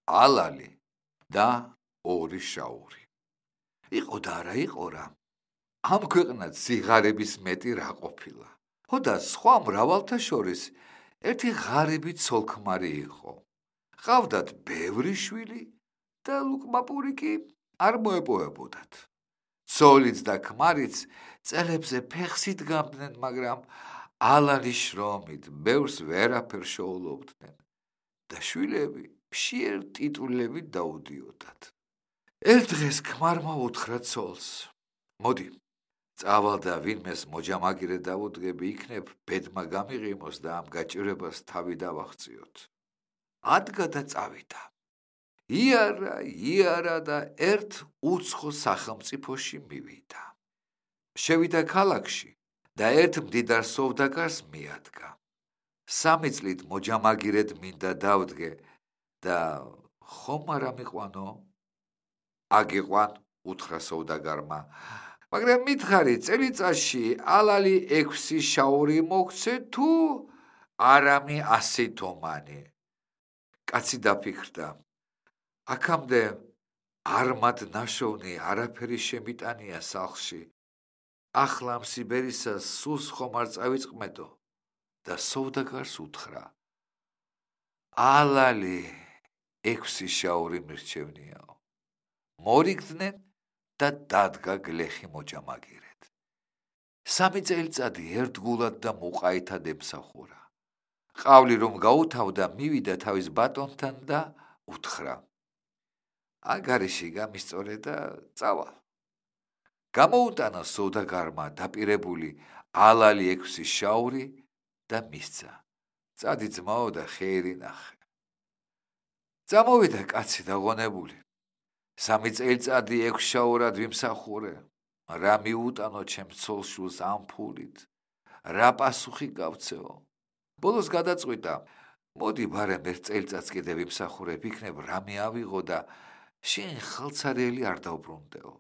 ალალი და ორი შაური. იყო და არა იყო რა. ამ ქვეყნად სიღარიბის მეტი რა ყოფილა. ხო და სხვა მრავალთა შორის ერთი ღარიბი ცოლ-ქმარი იყო. ყავდათ ბევრი შვილი და ლუკმაპური კი არ მოეპოვებოდათ. ცოლიც და ქმარიც წელებზე ფეხს იდგამდნენ, მაგრამ ალალის შრომით ბევრს ვერაფერს შეულობდნენ და შვილები მშიერ ტიტულებით დაუდიოდათ. ერთ დღეს ქმარმა უთხრა ცოლს: მოდი, წავალ და ვინმეს მოჯამაგირე დავუდგები, იქნებ ბედმა გამიღიმოს და ამ გაჭირებას თავი დავახციოთ. ადგა და წავიდა. იარა და ერთ უცხო სახელმწიფოში მივიდა. შევიდა ქალაქში და ერთ მდიდარ სოვდაგარს მიადგა. 3 წლით მოჯამაგირედ მინდა დავდგე და ხომ არა მიყვანო? აგიყვან, უთხრა სოვდაგარმა, მაგრამ მითხარი, წელიწადში ალალი 6 შაური მოგცე თუ არამი 100 თომანი? კაცი დაფიქრდა. აქამდე არმად ნაშოვნი არაფერი შემიტანია სახლში. ახლა ამ სიბერისას სულს ხომ არ წავიწყმედო? და სოვდაგარს უთხრა: ალალი 6 შაური მირჩევნიაო. მორიგდნენ და დადგა გლეხი მოჯამაგირედ. 3 წელიწადი ერთგულად და მუყაითად ემსახურა. ყავლი რომ გაუთავდა, მივიდა თავის ბატონთან და უთხრა: აგარიში გამისწორე და წავალ. გამოუტანა სოვდაგარმა დაპირებული ალალი 6 შაური და მისცა. წადი ძმაო და ხეირი ნახე. წამოვიდა კაცი დაღონებული. 3 წელიწადი 6 შაურად ვიმსახურე. რა მიუტანო ჩემ ცოლ-შვილს ამ ფულით? რა პასუხი გავცეო? ბოლოს გადაწყვიტა: მოდი ბარემ ერთ წელიწადს კიდე ვიმსახურებ, იქნებ რამე ავიღო და შენ ხალცარელი არ დავბრუნდეო.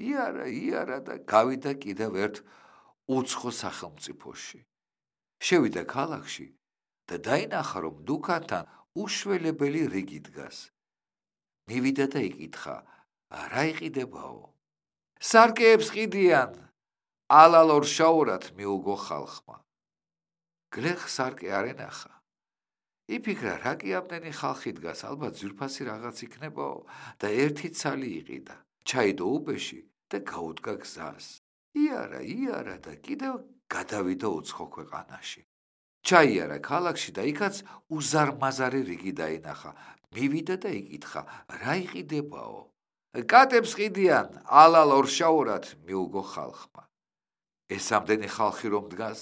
იარა და გავიდა კიდევ ერთ უცხო სახელმწიფოში. შევიდა ქალაქში და დაინახა, რომ დუქანთან უშველებელი რიგი დგას. მივიდა და იკითხა: რა იყიდებაო? სარკეებს ყიდიან, ალალ 2 შაურად მიუგო ხალხმა. გლეხ სარკე არ ენახა. იფიქრა, რა კი ამდენი ხალხი დგას, ალბათ ძვირფასი რაღაც იქნებაო და ერთი ცალი იყიდა. ჩაიდო უბეში და გაუდგა გზას. იარა და კიდევ გადავიდა უცხო ქვეყანაში. ჩაიარა ქალაქში და იქაც უზარმაზარი რიგი დაინახა. მივიდა და იკითხა: რა იყიდებაო? კატებს ყიდიან, ალალ 2 შაურად მიუგო ხალხმა. ეს ამდენი ხალხი რომ დგას,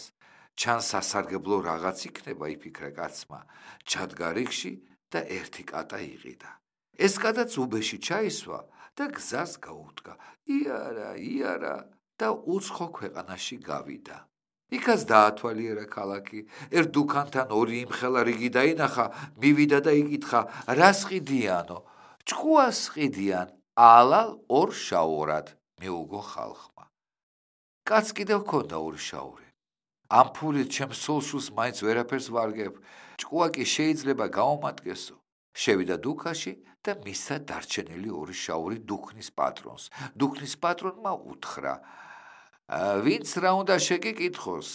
ჩან სასარგებლო რაღაც იქნება, იფიქრა კაცმა. ჩადგა რიგში და ერთი კატა იყიდა. ეს კატაც უბეში ჩაისვა და გზას გაუდგა. იარა და უცხო ქვეყანაში გავიდა. იქაც დაათვალიერა ქალაქი. ერთ დუქანთან 2 იმხელა რიგი დაინახა. მივიდა და იკითხა: რას ყიდიანო? ჭკუას ყიდიან, ალალ 2 შაურად მიუგო ხალხმა. კაც კიდევ ჰქონდა 2 შაური. ამ ფულით ჩემ სულშულს მაინც ვერაფერს ვარგებ. ჭკუა კი შეიძლება გაუმატკესო. შევიდა დუქაში და მისცა დარჩენილი 2 შაური დუქნის პატრონს. დუქნის პატრონმა უთხრა: ვინც რა უნდა შეგიკითხოს,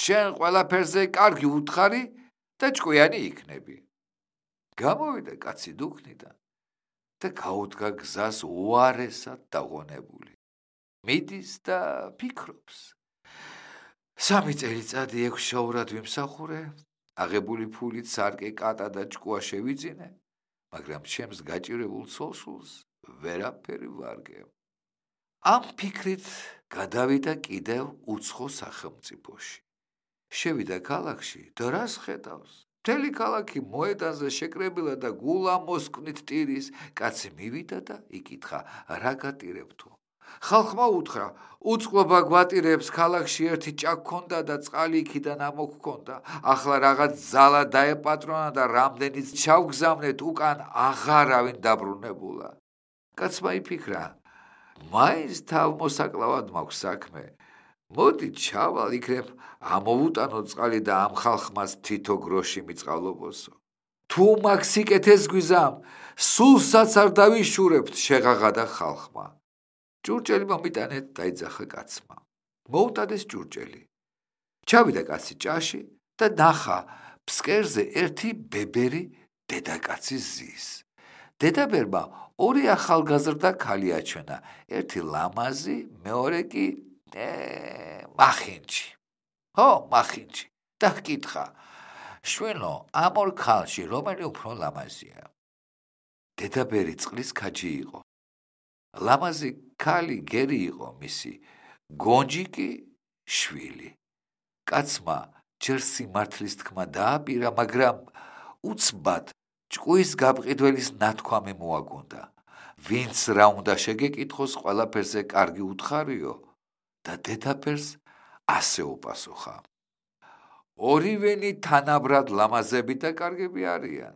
შენ ყველაფერზე კარგი უთხარი და ჭკვიანი იქნები. გამოვიდა კაცი დუქნიდან და გაუდგა გზას უარესად დაღონებული. მიდის და ფიქრობს: 3 წელიწადი 6 შაურად ვიმსახურე, აღებული ფულით სარკე, კატა და ჭკუა შევიძინე, მაგრამ ჩემს გაჭირებულ ცოლ-შვილს ვერაფერი ვარგებ. ამ ფიქრით გადავიდა კიდევ უცხო სახელმწიფოში. შევიდა ქალაქში და რას ხედავს? მთელი ქალაქი მოედანზე შეკრებილა და გულა მოსკვნით ტირის. კაცი მივიდა და იკითხა: რა გატირებთო? ხალხმა უთხრა: უწყლობა გვატირებს, ქალაქში ერთი ჭა გქონდა და წყალი იქიდან ამოგქონდა. ახლა რაღაც ძალა დაეპატრონა და რამდენიც ჩავგზავნეთ, უკან აღარავინ დაბრუნებულა. კაცმა იფიქრა: მაინც თავმოსაკლავად მაქვს საქმე. მოდი ჩავალ, იქნებ ამოვუტანო წყალი და ამ ხალხმას თითო გროში მიწყალობოსო. თუ მაგ სიკეთეს გვიზამ, სულსაც არ დავიშურებთ შეღაღადა ხალხმა. ჭურჭელი მომიტანეთ დაიძახა კაცმა. მოუტადეს ჭურჭელი. ჩავიდა კაცი ჭაში და ნახა ფსკერზე ერთი ბებერი დედაკაცის ზის. დედაბერმა ორი ახალგაზრდა ქალი აჩვენა, ერთი ლამაზი, მეორე კი მახინჯი. მახინჯი. და ჰკითხა, შვენო, ამ ორ ქალში რომელი უფრო ლამაზია? დედაბერი წყლის ქაჯი იყო. ლამაზი ქალი გერი იყო მისი, გონჯი კი შვილი. კაცმა ჯერ სიმართლის თქმა დააპირა, მაგრამ უცბად ჭკუის გაბყიდველის ნათქვამი მოაგონდა. ვინც რა უნდა შეგეკითხოს, ყველაფერზე კარგი უთხარიო და დედაბერს ასე უპასუხა. ორივენი თანაბრად ლამაზები და კარგები არიან.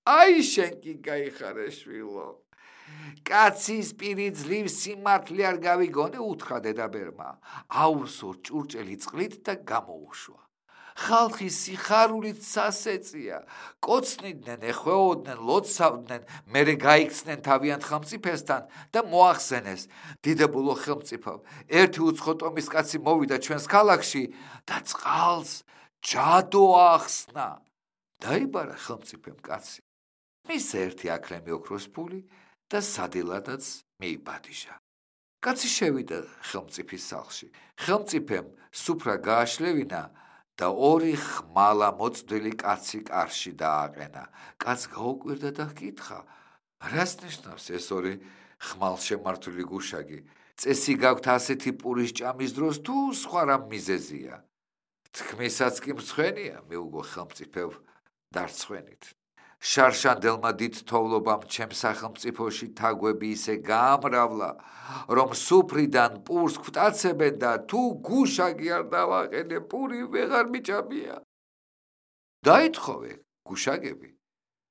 აი შენ კი გაიხარე შვილო. კაცის პირი ძლივს სიმართლე არ გავიგონე, უთხრა დედაბერმა. აუსო ჭურჭელი წყლით და გამოუშვა. ხალხი სიხარულით სასეწია, კოცნიდნენ, ეხვეოდნენ, ლოცავდნენ, მერე გაიქცნენ თავიანთ ხელმწიფესთან და მოახსენეს. დიდებულო ხელმწიფო, ერთი უცხო ტომის კაცი მოვიდა ჩვენს ქალაქში და წყალს ჯადო ახსნა. დაიბარა ხელმწიფემ კაცი. მის ერთი აკლემი ოქროს ფული და სადილადაც მიიბადიშა. კაცი შევიდა ხელმწიფის სახლში. ხელმწიფემ სუფრა გააშლევინა და ორი ხმალა მოწდილი კაცი კარში დააყენა. კაც გაუკვირდა და ჰკითხა, რას ნიშნავს ეს ორი ხმალშემართული გუშაგი? წესი გაქვთ ასეთი პურის ჭამის დროს თუ სხვა რამ მიზეზია? თქმისაც კი მცხენია, მიუგო ხელმწიფევ დარცხვენით. შარშანდელმა დიდ თოვლობამ ჩემს სახელმწიფოში თაგვები ისე გაამრავლა, რომ სუფრიდან პურს გვტაცებენ და თუ გუშაგი არ დავაყენე, პური ვეღარ მიჭამია. დაითხოვე გუშაგები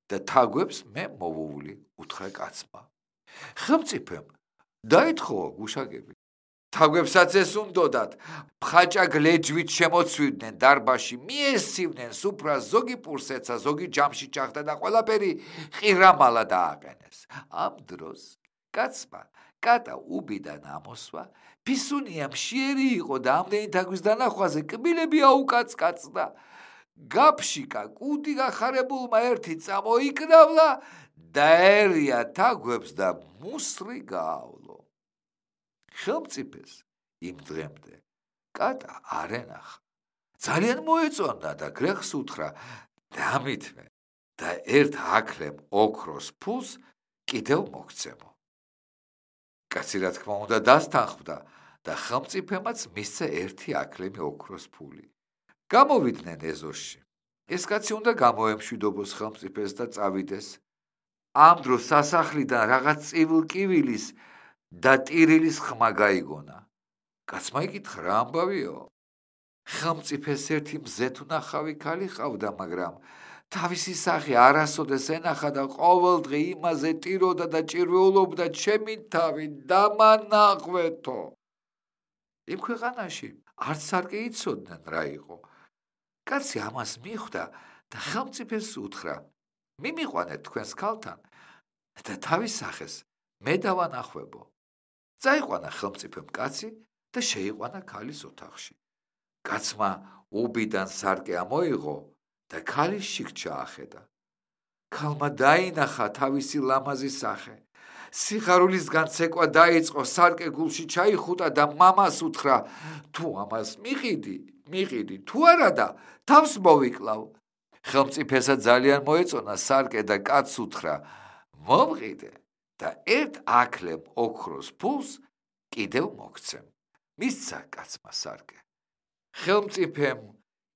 და თაგვებს მე მოვუვლი, უთხრა კაცმა. ხელმწიფემ დაითხოვა გუშაგები. თაგვებსაც ეს უნდოდათ, მხაჭა გლეჯვით შემოცვიდნენ დარბაში, მიესივნენ სუფრას, ზოგი პურს ეცა, ზოგი ჯამში ჭახდა და ყველაფერი ყირამალა დააყენეს. ამ დროს კაცმა კატა უბიდან ამოსვა, ფისუნია მშიერი იყო და ამდენი თაგვის დანახვაზე კბილები აუკაცკაცდა. გაფშიკა კუდი გახარებულმა ერთი წამოიკრავლა და ერია თაგვებს და მუსრი გაავლო. ხელმწიფეს იმ დღემდე კატა არ ენახა. ძალიან მოეწონდა და გლეხს უთხრა, დამითმე და ერთ აკლემ ოქროს ფულს კიდევ მოგცემო. კაცი რა თქმა უნდა დასთანხმდა და ხელმწიფემაც მისცა ერთი აკლემი ოქროს ფული. გამოვიდნენ ეზოში. ეს კაცი უნდა გამოემშვიდობოს ხელმწიფეს და წავიდეს. ამ დროს სასახლიდან რაღაც წივილ-კივილის და ტირილის ხმა გაიგონა. კაცმა იკითხა, რა ამბავიო? ხელმწიფეს ერთი მზეთუნახავი ქალი ყავდა, მაგრამ თავისი სახე არასოდეს ენახა და ყოველდღე იმაზე ტიროდა და ჭირვეულობდა, ჩემი თავი დამანაღვეთო. იმ ქვეყანაში არც სარკე იცოდნენ რა იყო. კაცი ამას მიხვდა და ხელმწიფეს უთხრა, მიმიყვანეთ თქვენს ქალთან და თავის სახეს მე დავანახვებო. წაიყვანა ხელმწიფემ კაცი და შეიყვანა ქალის ოთახში. კაცმა უბიდან სარკე ამოიღო და ქალის შიგ ახედა. ქალმა დაინახა თავისი ლამაზი სახე. სიხარულისგან ცეკვა დაიწყო, სარკე გულში ჩაიხუტა და მამას უთხრა, თუ ამას მიყიდი, თუ არა და თავს მოვიკლავ. ხელმწიფესა ძალიან მოეწონა სარკე და კაცს უთხრა, მომყიდე და ერთ აკლემ ოქროს ფულს კიდევ მოგცემ. მისცა კაცმა სარკე. ხელმწიფემ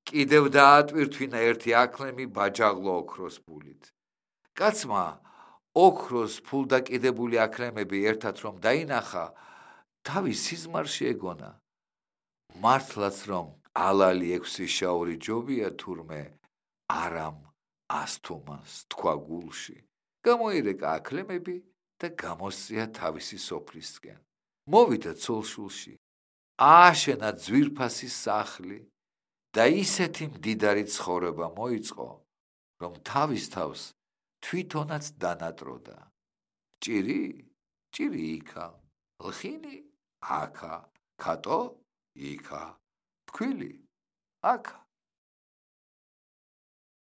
კიდევ დაატვირთვინა ერთი აკლემი ბაჯაღლო ოქროს ფულით. კაცმა ოქროს ფულდაკიდებული აკლემები ერთად რომ დაინახა, თავის სიზმარში ეგონა. მართლაც რომ ალალი 6 შაური ჯობია თურმე არამ ასთუმას თქვა გულში. გამოირეკა აკლემები და გამოსწია თავისი სოფლისკენ. მოვიდა ცოლშულში, ააშენა ძვირფასი სახლი და ისეთი მდიდარი ცხოვრება მოიწყო, რომ თავის თავს თვითონაც დანატროდა. ჭირი? ჭირი იქა. ლხინი? აქა. ქატო? იქა. ფქვილი? აქა.